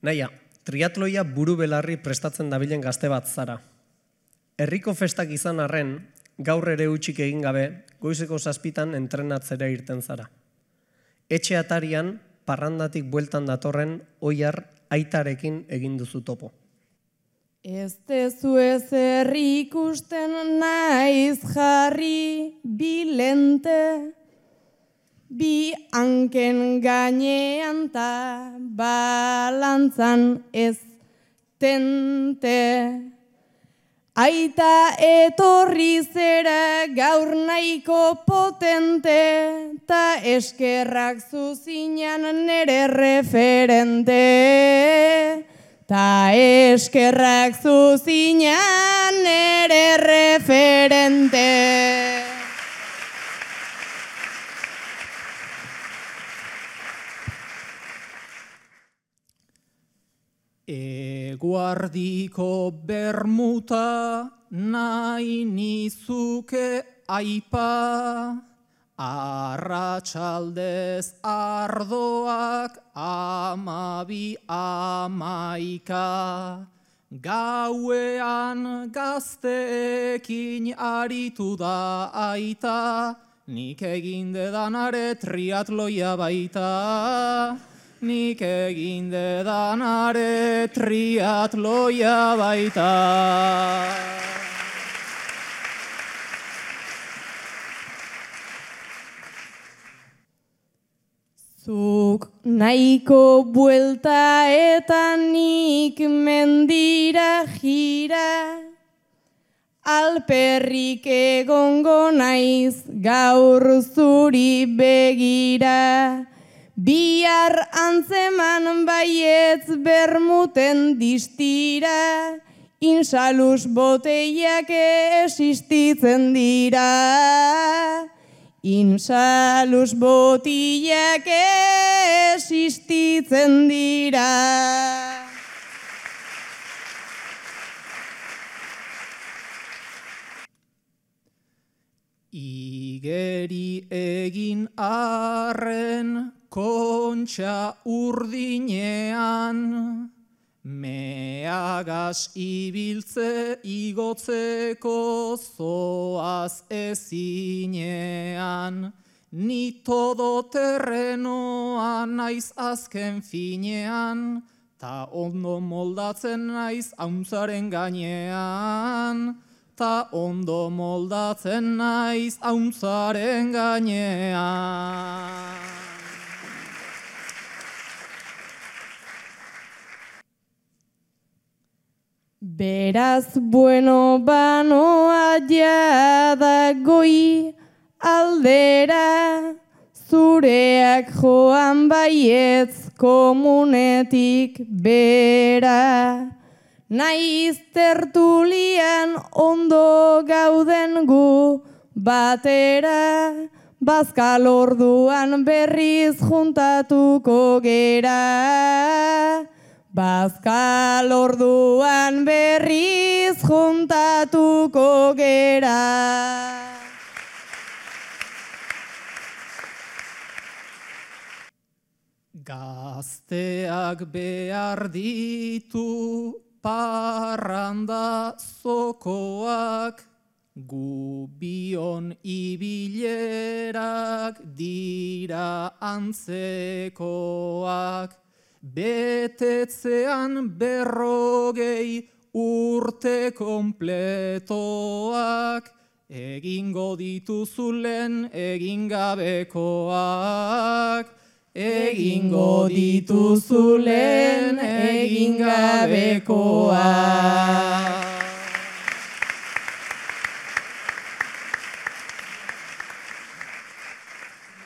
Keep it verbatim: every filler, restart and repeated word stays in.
Naia, triatloia buru belarri prestatzen dabilen gazte bat zara. Herriko festak izan arren, gaur ere utxik egin gabe, goizeko zazpitan entrenatzera irten zara. Etxe atarian, parrandatik bueltan datorren, oiar aitarekin egin duzu topo. Ez dezu ezer ikusten naiz jarri bilente, bi hanken gainean ta balantzan ez tente. Aita etorri zera gaur nahiko potente, ta eskerrak zuzinan nere referente. Ta eskerrak zuzinan nere referente. Eguardiko bermuta nahi nizuke aipa, arratsaldez ardoak amabi amaika. Gauean gazteekin aritu da aita, nik egin dedanare triatloia baita. Nik egin dedanare triatloia baita. Zuk nahiko buelta eta nik mendira jira, alperrik egongo naiz gaur zuri begira. Bihar antzeman baietz bermuten distira, insalus boteiak existitzen dira. Insalus botiak existitzen dira. Igeri egin arren kontxa urdinean, meagaz ibiltze igotzeko zoaz ezinean. Ni todo terrenoa naiz azken finean, ta ondo moldatzen naiz auntzaren gainean. Ta ondo moldatzen naiz auntzaren gainean. Beraz bueno banoa jada goi aldera, zureak joan baietz komunetik bera. Naiz tertulian ondo gauden gu batera, bazkal orduan berriz juntatuko gera. Bazkal orduan berriz juntatuko gera. Gazteak behar ditu parranda zokoak, gu bion ibilerak dira antzekoak. Betetzean berrogei urte kompletoak, egingo dituzulen egin gabekoak. Egingo dituzulen egin gabekoak.